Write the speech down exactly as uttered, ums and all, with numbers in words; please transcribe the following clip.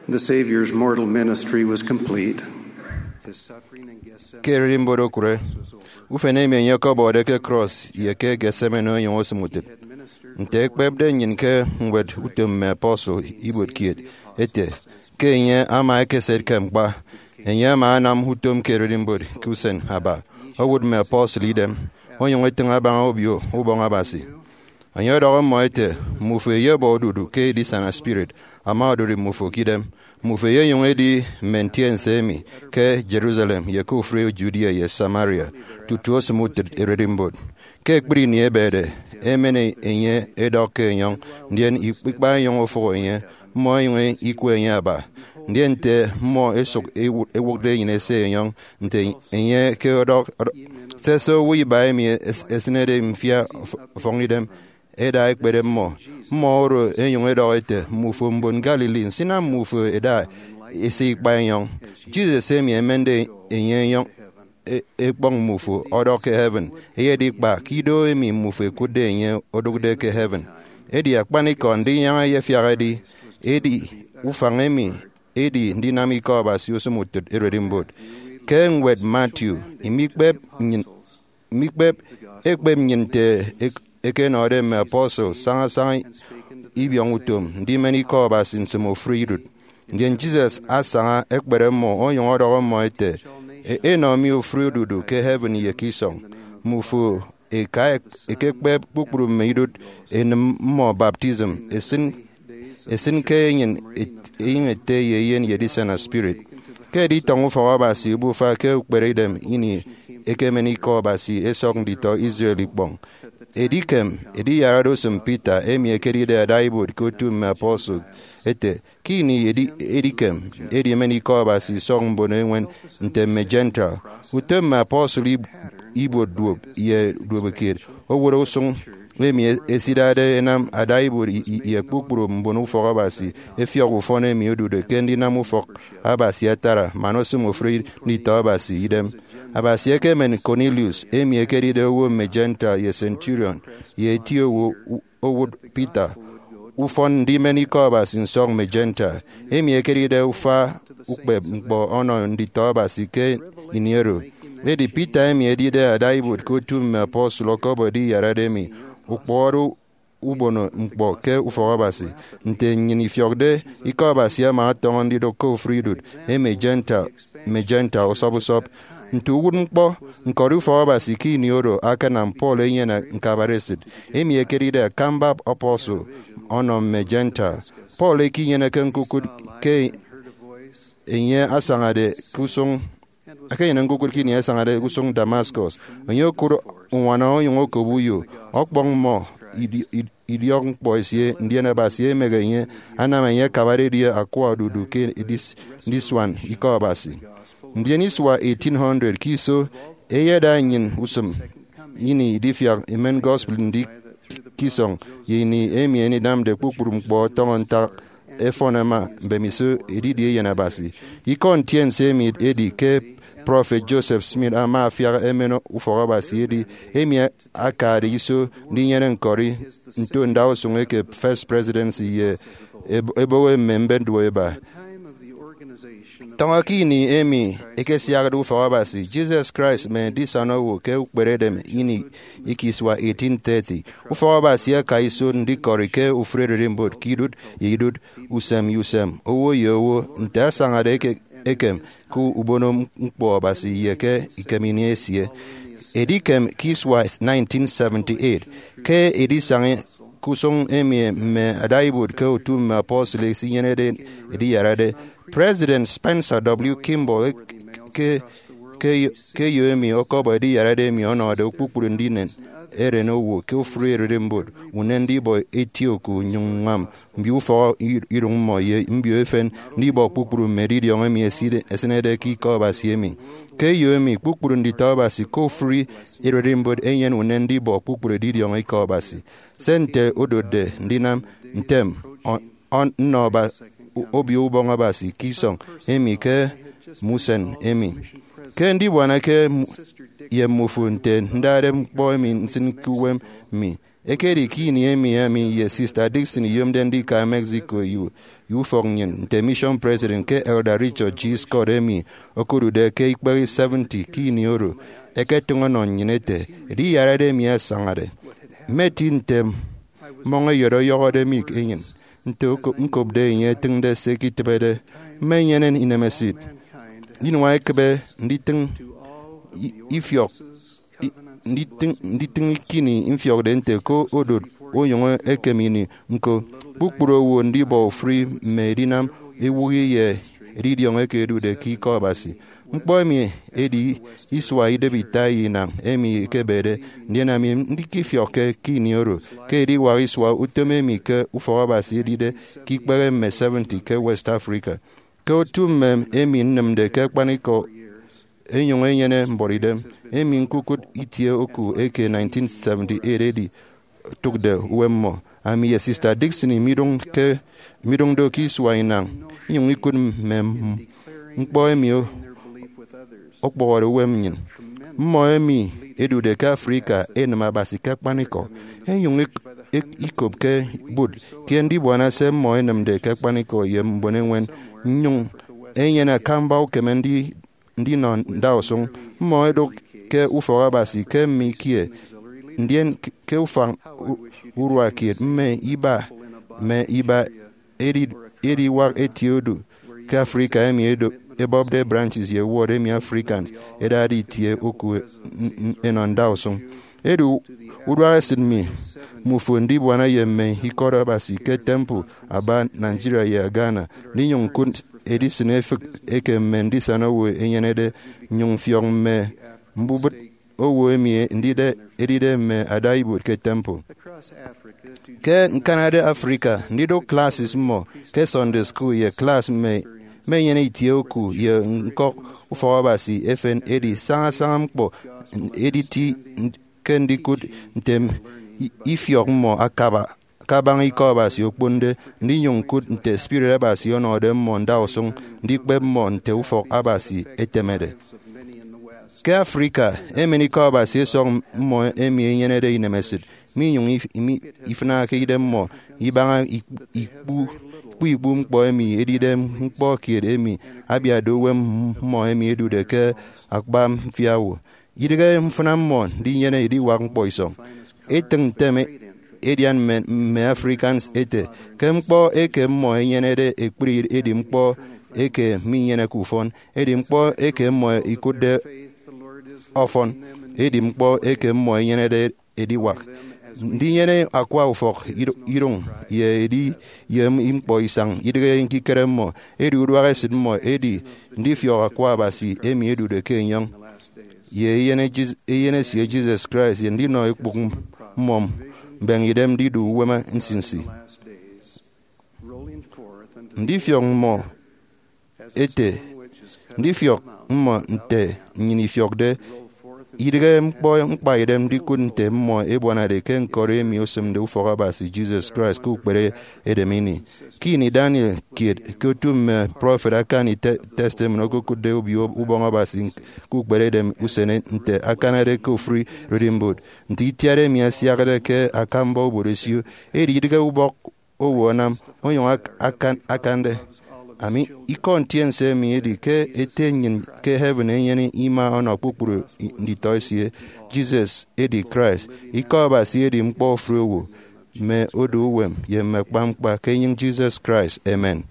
The Savior's mortal ministry was complete. His suffering in Gethsemane. Ke ererimbot okụre, ufen emi enye ọkọbọde ke cross ye ke Gethsemane onyụñ osịm utịt. Nte ekpepde nnyịn ke ñwed Utom Mme Apostle ibuot kiet, ete ke enye ama ekesịt ke ñkpa. Enye ama anam utom ke ererimbot ke usen aba, owụt mme apostle idem, onyụñ etịñ abaña Obio Ubọñ Abasi. Enye ọdọhọ mmọ ete, "Mmufo eyebọ odudu ke edisana spirit ama odụri mmufo ke idem. Mmufo eyenyụñ edi mme ntiense emi ke Jerusalem ye ke ofụri Judea ye Samaria, tutu osịm utịt ererimbot." Ke ekpri ini ebede, emen enye edọk ke enyọñ, ndien ikp-, ikpa enyọñ ofụhọ enye, mmọ enyụñ ikwe enye aba. Ndien nte mmọ esụk ewụ-, ewụkde enyịn ese enyọñ, nte enye ke ọdọk, ọdọk, sese owo iba emi es-, esịnede mfia ọf-, ọfọñidem, eda ekpere mmọ. Mmọ oro enyụñ edọhọ ete, "Mmufo mbon Galilee, nsinam mmufo eda ese ikpa enyọñ? Jesus emi emende enye enyọñ e-, ekpọñ mmufo ọdọk ke heaven, eyedi kpa ke ido emi mmufo ekụtde enye odụkde ke heaven." Edi akpanikọ ndinyaña eyefiak edi, edi ufañ emi edi ndinam ikọ Abasi osịm utịt ererimbot. Ke ñwed Matthew, imikpep nnyịn, mikpep ekpep nnyịn nte ek-, ekenọde mme apostle saña saña ibiọñ utom ndimen ikọ Abasi nsịm ofụri idụt. Ndien Jesus asaña ekpere mmọ onyụñ ọdọhọ mmọ ete, "E-, enọ mi ofụri odudu ke heaven ye ke isọñ. Mmufo eka ek-, ekekpep kpukpru mme idụt, enịm mmọ baptism, esịn, esịn ke enyịn et-, enyịñ Ete ye Eyen ye Edisana Spirit." Ke editọñọ ufọk Abasi obufa ke ukperedem ini ekemen ikọ Abasi esọk nditọ Israel ikpọñ. Edikem ediyarade usịm Peter, emi ekedide adaibuot ke otu mme apostle, ete, ke ini edi-, edikem edi emen ikọ Abasi isọk mbon eñwen nte mme Gentile. Utom mme apostle ib-, ibuot duop ye duobukiet owụt usụñ emi e-, esidade enam adaibuot i-, i-, ye kpukpru mbon ufọk Abasi efiọk ufọn emi odude ke ndinam ufọk Abasi atara man osịm ofụri nditọ Abasi idem. Abasi ekemen Cornelius, emi ekedide owo mme Gentile, ye centurion, ye eti owo u-, owụt Peter ufọn ndimen ikọ Abasi nsọk mme Gentile, emi ekedide ufa ukpep ñkpọ ọnọ nditọ Abasi ke ini oro. Edi Peter, emi edide adaibuot ke otu mme apostle, ọkọbọ ediyarade emi ukpọhọde ubono ñkpọ ke ufọk Abasi. Nte nnyịn ifiọkde, ikọ Abasi ama ọtọñọ ndidụk ke ofụri idụt mme Gentile, mme Gentile usọp usọp. Nte uwụtñkpọ, ñkọri ufọk Abasi ke ini oro akanam Paul enyene ñkabaresịt, emi ekedide akamba apostle, ọnọ mme Gentile. Paul ekenyeneke ñkukụt ke enye asañade ke usụñ, ekenyene ñkukụt ke ini asañade ke usụñ Damascus. Enye okụt uñwana onyụñ okop uyo, ọkpọñ mmọ idi-, id-, idiọk ñkpọ esie, ndien Abasi emehe enye, anam enye akabade edi akwa odudu ke edis-, ndisuan ikọ Abasi. Ndien isua eighteen hundred ke iso, eyeda nnyịn usịm ini idifiak imen gospel ndi ke isọñ, ye ini emi enidamde kpukpru ñkpọ ọtọñọ ntak efọn ẹma mbemiso edidi Eyen Abasi. Ikọ ntiense emi edi ke Prophet Joseph Smith ama afiak emen ufọk Abasi edi emi akade iso ndinyene ñkọri nto ndausụñ eke First Presidency ye eb-, eboho mme mbet duop eba. Tọñọ ke ini emi ekesiakde ufọk Abasi, Jesus Christ mme Edisana Owo ke ukperedem ini eke isua eighteen thirty. Ufọk Abasi aka iso ndikọri ke ofụri ererimbot ke idụt ye idụt, usem ye usem, owo ye owo, nte asañade eke-, ekem ke ubono ñkpọ Abasi ye ke ikem ini esie. Edikem ke isua nineteen seventy-eight, ke edisaña ke usụñ emi mme adaibuot ke otu mme apostle esinyenede ediyarade, President Spencer W. Kimball ke, ke, ke eyo emi ọkọbọ ediyarade emi ọnọde kpukpru ndinen eren owo ke ofụri ererimbot unen ndibọ eti oku nnyụñ ññwam mbio ufọk i-, idụñ mmọ ye mbio efen ndibọ kpukpru mme edidiọñ emi eside-, esịnede ke ikọ Abasi emi. Ke eyo emi, kpukpru nditọ Abasi ke ofụri ererimbot enyene unen ndibọ kpukpru edidiọñ ikọ Abasi. Se nte odotde ndinam, ntem, ọ-, ọ-, nnọ ba-, Obio Ubọñ Abasi ke isọñ emi ke mme usen emi. Ke ndibuana ke m-, ye mmufo nte ndade ñkpọ emi nsịn ke uwem mi, Ekedi ke ini emi ami ye Sister Dixon iyomde ndika Mexico ye ye ufọk nnyịn nte mission president ke Elder Richard G. Scott, emi okodude ke ikpehe seventy ke ini oro, eketịñ ọnọ nnyịn ete, ediyarade emi asañade. Mmeti nte mmọñ eyet ọyọhọde mi enyịn, nte oko- ñkopde enye etịñde se iketịbede. Mmenyene inemesịt inua ekịbe nditịñ i- ifiọk i- nditịñ nditịñ kini mfiọkde nte ke odot onyụñ ekem ini ñko. Kpukpru owo ndibọ ofụri mme edinam ewụhị ye edidiọñ eke ẹdude ke Ikọ Abasi. Ñkpọ emi edi isua idịbi ita ye inañ emi ekebede, ndien ami ndikifiọkke ke ini oro ke ediwak isua utom emi ke ufọk Abasi edide ke ikpehe mme seventy ke West Africa. Ke otu mme emi nnịmde ke akpanikọ enyụñ enyene mbuọtidem, emi ñkukụt itie oku eke nineteen seventy-eight edi otụkde uwem mmọ. Ami ye Sister Dixon midụñ ke midụñ do ke isua inañ, inyụñ ikụt mme m- ñkpọ emi o- okpụhọde uwem nnyịn. Mmọ emi ẹdude ke Africa ẹnịm Abasi ke akpanikọ, ẹnyụñ ẹk- ẹk- ikopke bụt kiet ndibuana se mmọ ẹnịmde ke akpanikọ ye mbon eñwen, nnyụñ ẹnyene akamba ukeme ndi- ndinọ ndausụñ. Mmọ ẹdụk ke ufọk Abasi ke mme ikie, ndien ke- ke ufañ u- urua kiet mme iba mme iba edi- ediwak etie odu ke Africa emi edo- ebọpde branches ye ward emi Africans ẹdade itie oku n- n- ẹnọ ndausụñ. Edi u- uduak esịt mi mmufo ndibuana ye mme ikọt Abasi ke temple Aba, Nigeria ye Ghana, ndinyụñ ñkụt edisịn efịk eke mme ndisana owo ẹnyenede, nnyụñ mfiọk mme mbubịt owo emi ndide edide mme adaibuot ke temple. Ke ñkanade Africa, ndidụk classes mmọ ke Sunday school ye class mme mmenyene itie oku ye ñkọk ufọk Abasi efen edi saña saña ñkpọ editi ke ndikụt nte ifiọk mmọ akaba kabaña Ikọ Abasi okponde, ndinyụñ ñkụt nte spirit Abasi ọnọde mmọ ndausụñ ndikpep mmọ nte ufọk Abasi etemede. Ke Africa, emen Ikọ Abasi esọk mmọ emi ẹnyenede inemesịt, minyụñ if- mi- ifịnake idem mmọ ibaña ikpu ikpu ikpu ñkpọ emi edide ñkpọ kiet emi abiatde uwem mmọ emi ẹdude ke akpa mfia owo. Idịghe mfịna mmọ ndinyene ediwak ñkpọ isọñ. Etịñ ntem edian mme mme Africans ete ke ñkpọ eke mmọ ẹnyenede ekpri edi ñkpọ eke minyeneke ufọn, edi ñkpọ eke mmọ ikụtde ọfọn, edi ñkpọ eke mmọ ẹnyenede ediwak. Ndinyene akwa ufọk ido- idụñ ye edi ye ñkpọ isañ idịghe ñkikere mmọ, edi uduak esịt mmọ edi ndifiọk akwa Abasi emi ẹdude ke enyọñ ye eyen Jis- eyen esie Jesus Christ ye ndinọ ekpụk mmọ mbeñe idem ndidu uwem nsinsi. Ndifiọk mmọ ete ndifiọk mmọ nte nnyịn ifiọkde. Idịghe ñkpọ ñkpaidem ndikụt nte mmọ ẹbuanade ke ñkọri emi osịmde ufọk Abasi Jesus Christ ke ukpere edem ini. Ke ini Daniel kiet ke otu mme prọfet akani te- testimony okokụtde Obio Ubọñ Abasi ke ukpere edem usen nte akanade ke ofụri Reading Board, nte itiat emi asiakde ke akamba obot esio, edi idịghe ubọk owo anam onyụñ ak- akan- akande. Ami, ikọ ntiense emi edi ke Ete nnyịn ke heaven enyene ima ọnọ kpukpru i- nditọ esie. Jesus edi Christ. Ikọ Abasi edi ñkpọ ofụri owo, mme odu uwem, ye mme akpa ñkpa ke enyịñ Jesus Christ. Amen.